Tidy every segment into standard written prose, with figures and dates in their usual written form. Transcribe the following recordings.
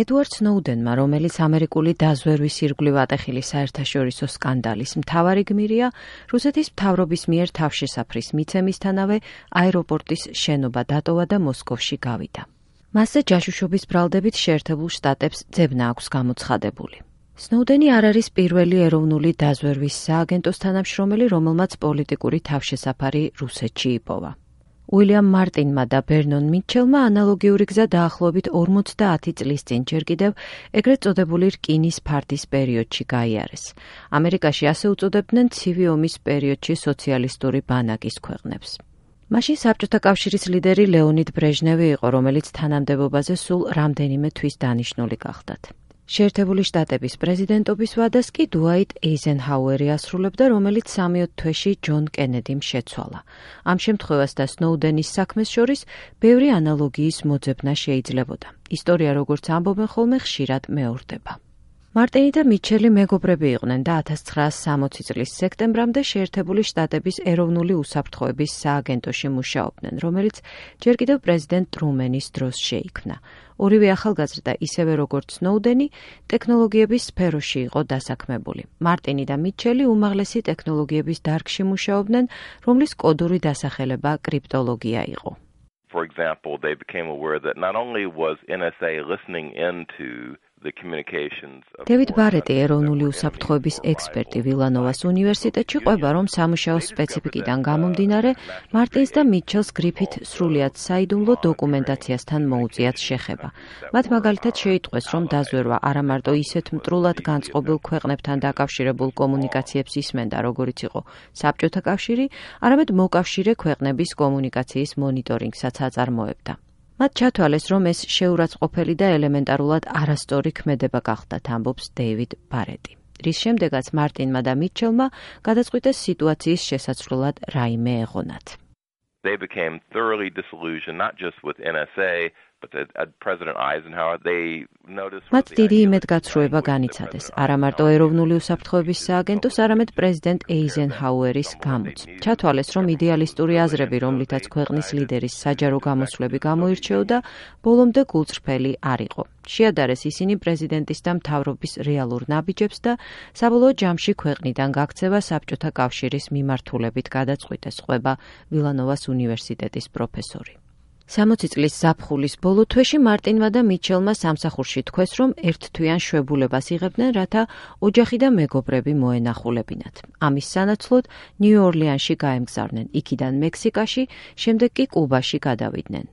ედუარდ სნოუდენმა, რომელიც ამერიკული დაზვერვის ირგვლივ ატეხილი საერთაშორისო სკანდალის მთავარი გმირია, რუსეთის მთავრობის მიერ თავშესაფრის მიცემისთანავე აეროპორტის შენობა დატოვა და მოსკოვში გავიდა. მასზე ჯაშუშობის ბრალდებით შეერთებულ შტატებს ძებნა აქვს გამოცხადებული. სნოუდენი არ არის პირველი ეროვნული დაზვერვის სააგენტოს თანამშრომელი, რომელმაც პოლიტიკური თავშესაფარი რუსეთში იპოვა. უილიამ მარტინმა და ბერნონ მიჩელმა ანალოგიური გზა დაახლოებით 50 წლის წინ ჯერ კიდევ ეგრეთ წოდებული რკინის ფარდის პერიოდში გაიარეს. ამერიკაში ასე უწოდებდნენ ცივი ომის პერიოდში სოციალისტური ბანაკის ქვეყნებს. მაშინ საბჭოთა კავშირის ლიდერი ლეონიდ ბრეჟნევი იყო, რომელიც თანამდებობაზე სულ რამდენიმე თვის დანიშნული გახდათ. შეერთებული შტატების პრეზიდენტობის ვადას კი დუაიტ ეიზენჰაუერი ასრულებდა, რომელიც 3 თვეში ჯონ კენედიმ შეცვალა. ამ შემთხვევას და სნოუდენის საქმეს შორის ბევრი ანალოგიის მოძებნა შეიძლებოდა. ისტორია, როგორც ამბობენ ხოლმე, ხშირად მეორდება. მარტინი და მიჩელი მეგობრები იყვნენ და 1960 წლის სექტემბრამდე შეერთებული შტატების ეროვნული უსაფრთხოების სააგენტოში მუშაობდნენ, რომელიც ჯერ კიდევ პრეზიდენტ ტრუმენის დროს შეიქმნა. ორივე ახალგაზრდა, ისევე როგორც სნოუდენი, ტექნოლოგიების სფეროში იყო დასაქმებული. მარტინი და მიჩელი უმაღლესი ტექნოლოგიების დარგში მუშაობდნენ, რომლის კოდური დასახელება კრიპტოლოგია იყო. For example, they became aware that not only was NSA listening into დევიდ ბარეტი, ეროვნული უსაფრთხოების ექსპერტი ვილანოვას უნივერსიტეტში, ყვება, რომ სამუშაოს სპეციფიკიდან გამომდინარე, მარტინს და მიჩელს გრიფით სრულიად საიდუმლო დოკუმენტაციასთან მოუწიათ შეხება. მათ მაგალითად შეიტყვეს, რომ დაზვერვა არა მარტო ისეთ მტრულად განწყობილ ქვეყნებთან დაკავშირებულ კომუნიკაციებს ისმენდა, როგორიც იყო საბჭოთა კავშირი, არამედ მოკავშირე ქვეყნების კომუნიკაციის მონიტორინგსაც აწარმოებდა. მათ ჩათვალეს, რომ ეს შეურაცხყოფელი და ელემენტარულად არასწორი ქმედება გახდათ, ამბობს დეივიდ ბარეტი. რის შემდეგაც მარტინმა და მიჩელმა გადაწყვიტეს სიტუაციის შესაცვლელად რაიმე ეღონათ. They became thoroughly disillusioned, not just with NSA, but President Eisenhower. They noticed მათ დიდი იმედგაცრუება განიცადეს, არა მარტო ეროვნული უსაფრთხოების სააგენტოს, არამედ პრეზიდენტ ეიზენჰაუერის გამოც. ჩათვალეს, რომ იდეალისტური აზრები, რომლითაც ქვეყნის ლიდერის საჯარო გამოსვლები გამოირჩეოდა, ბოლომდე გულწრფელი არ იყო. შეადარეს ისინი პრეზიდენტის და მთავრობის რეალურ ნაბიჯებს და საბოლოო ჯამში ქვეყნიდან გაქცევა საბჭოთა კავშირის მიმართულებით გადაწყვიტეს, ყვება ვილანოვას უნივერსიტეტის პროფესორი. 60 წლის ზაფხულის ბოლო თვეში მარტინმა და მიჩელმა სამსახურში თქვეს, რომ ერთთვიან შვებულებას იღებდნენ, რათა ოჯახი და მეგობრები მოენახულებინათ. ამის სანაცვლოდ ნიუ-ორლიანში გაემგზავრნენ, იქიდან მექსიკაში, შემდეგ კი კუბაში გადავიდნენ.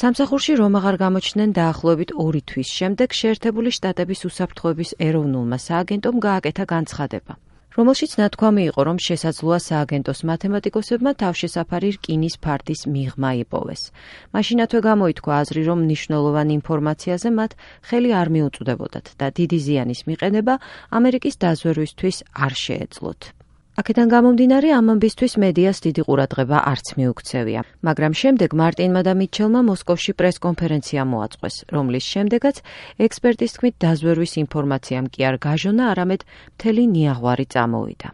სამსახურში რომ აღარ გამოჩნდნენ დაახლოებით 2 თვის შემდეგ შეერთებული შტატების უსაფრთხოების ეროვნულმა სააგენტომ გააკეთა განცხადება, რომელშიც ნათქვამი იყო, რომ შესაძლოა სააგენტოს მათემატიკოსებმა თავშესაფარი რკინის ფარდის მიღმა იპოვეს. მაშინათვე გამოითქვა აზრი, რომ მნიშვნელოვან ინფორმაციაზე მათ ხელი არ მიუწვდებოდათ და დიდი ზიანის მიყენება ამერიკის დაზვერვისთვის არ შეეძლოთ. აქედან გამომდინარე, ამ ამბისთვის მედიას დიდი ყურადღება არც მიუქცევია, მაგრამ შემდეგ მარტინმა და მიჩელმა მოსკოვში პრესკონფერენცია მოაწყვეს, რომლის შემდეგაც ექსპერტის თქმით დაზვერვის ინფორმაციამ კი არ გაჟონა, არამედ მთელი ნიაღვარი წამოვიდა.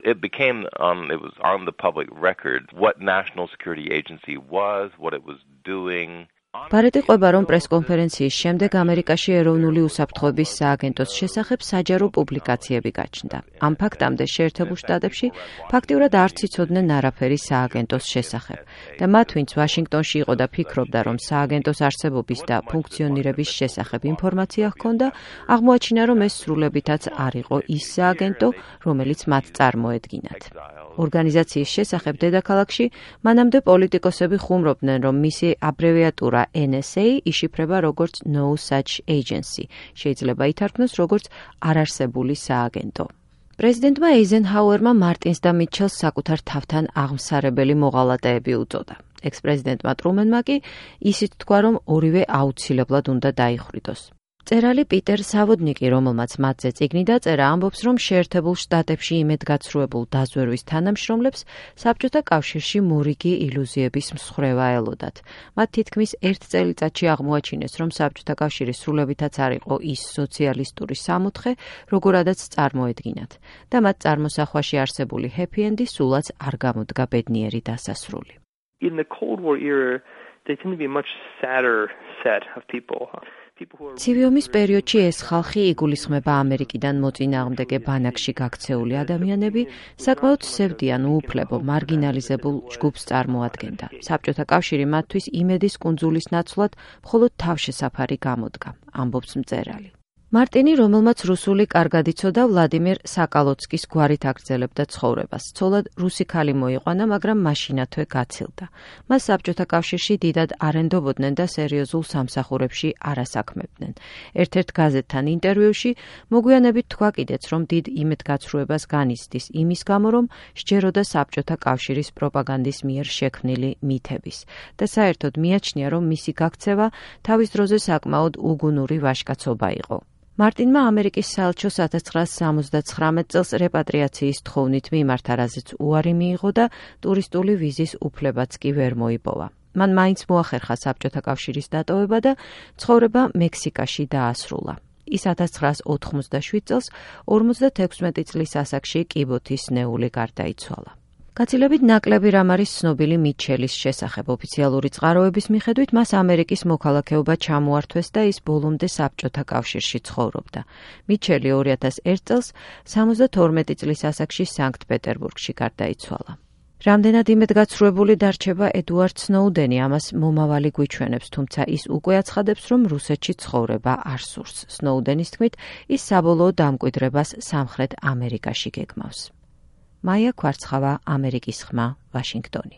It was on the public record what National Security Agency was, what it was doing. ბარეტი ყვება, რომ პრესკონფერენციის შემდეგ ამერიკაში ეროვნული უსაფრთხოების სააგენტოს შესახებ საჯარო პუბლიკაციები გაჩნდა. ამ ფაქტამდე შეერთებულ შტატებში ფაქტიურად არც იცოდნენ არაფერი სააგენტოს შესახებ და მათ, ვინც ვაშინგტონში იყო და ფიქრობდა, რომ სააგენტოს არსებობის და ფუნქციონირების შესახებ ინფორმაცია ჰქონდა, აღმოაჩინა, რომ ეს სრულებითაც არ იყო ის სააგენტო, რომელიც მათ წარმოედგინათ. ორგანიზაციის შესახებ დედაქალაქში მანამდე პოლიტიკოსები ხუმრობდნენ, რომ მისი აბრევიატურა NSA იშიფრება როგორც No Such Agency, შეიძლება ითარგმნოს როგორც არარსებული სააგენტო. პრეზიდენტმა ეიზენჰაუერმა მარტინს და მიჩელს საკუთარ თავთან აღმსარებელი მოღალატეები უწოდა. ექს-პრეზიდენტმა ტრუმენმა კი ისიც თქვა, რომ ორივე აუცილებლად უნდა დაიხრიდოს. წერალი პიტერ სავოდნიკი, რომელმაც მათზე წიგნი დაწერა, ამბობს, რომ შეერთებულ შტატებში იმედგაცრუებულ დაზვერვის თანამშრომლებს საბჭოთა კავშირში მორიგი ილუზიების მსხრევა ელოდათ. მათ თითქმის 1 წელიწადში აღმოაჩინეს, რომ საბჭოთა კავშირი სრულებითაც არ იყო ის სოციალისტური სამოთხე, როგორადაც წარმოედგინათ და მათ წარმოსახვაში არსებული ჰეპი-ენდი სულაც არ გამოდგა ბედნიერი დასასრული. In the Cold War era, they tend to be a much sadder set of people. ცივი ომის პერიოდში ეს ხალხი იგულისხმება ამერიკიდან მოწინააღმდეგე ბანაკში გაქცეული ადამიანები, საკმაოდ სევდიან უუფლებო მარგინალიზებულ ჯგუფს წარმოადგენდა. საბჭოთა კავშირი მათთვის იმედის კუნძულის ნაცვლად მხოლოდ თავშესაფარი გამოდგა, ამბობს მწერალი. მარტინი, რომელმაც რუსული კარგად იცოდა, ვლადიმერ საკალოცკის გვარით აგრძელებდა ცხოვრებას. ცოლად რუსი ქალი მოიყვანა, მაგრამ მაშინათვე გაცილდა. მას საბჭოთა კავშირში დიდად არენდობოდნენ და სერიოზულ სამსახურებში არასაქმებდნენ. ერთ-ერთ გაზეთთან ინტერვიუში მოგვიანებით თქვა კიდეც, რომ დიდ იმედგაცრუებას განიცდის იმის გამო, რომ სჯეროდა საბჭოთა კავშირის პროპაგანდის მიერ შექმნილი მითების და საერთოდ მიაჩნია, რომ მისი გაქცევა თავის დროზე საკმაოდ უგუნური ვაჟკაცობა იყო. მარტინმა ამერიკის საელჩოს 1979 წელს რეპატრიაციის თხოვნით მიმართა, რაზეც უარი მიიღო და ტურისტული ვიზის უფლებაც კი ვერ მოიპოვა. მან მაინც მოახერხა საბჭოთა კავშირის დატოვება და ცხოვრება მექსიკაში დაასრულა. ის 1987 წელს 56 წლის ასაკში კიბოთის ნეული გარდაიცვალა. გაცილებით ნაკლები რამ არის ცნობილი მიჩელის შესახებ. ოფიციალური წყაროების მიხედვით მას ამერიკის მოქალაქეობა ჩამოართვეს და ის ბოლომდე საბჭოთა კავშირში ცხოვრობდა. მიჩელი 2001 წელს 72 წლის ასაკში სანქტ-პეტერბურგში გარდაიცვალა. რამდენად იმედგაცრუებული დარჩება ედუარდ სნოუდენი, ამას მომავალი გვიჩვენებს, თუმცა ის უკვე აცხადებს, რომ რუსეთში ცხოვრება არ სურს. სნოუდენის თქმით, ის საბოლოო დამკვიდრებას სამხრეთ ამერიკაში გეგმავს. მაია ქვარცხავა, ამერიკის ხმა, ვაშინგტონი.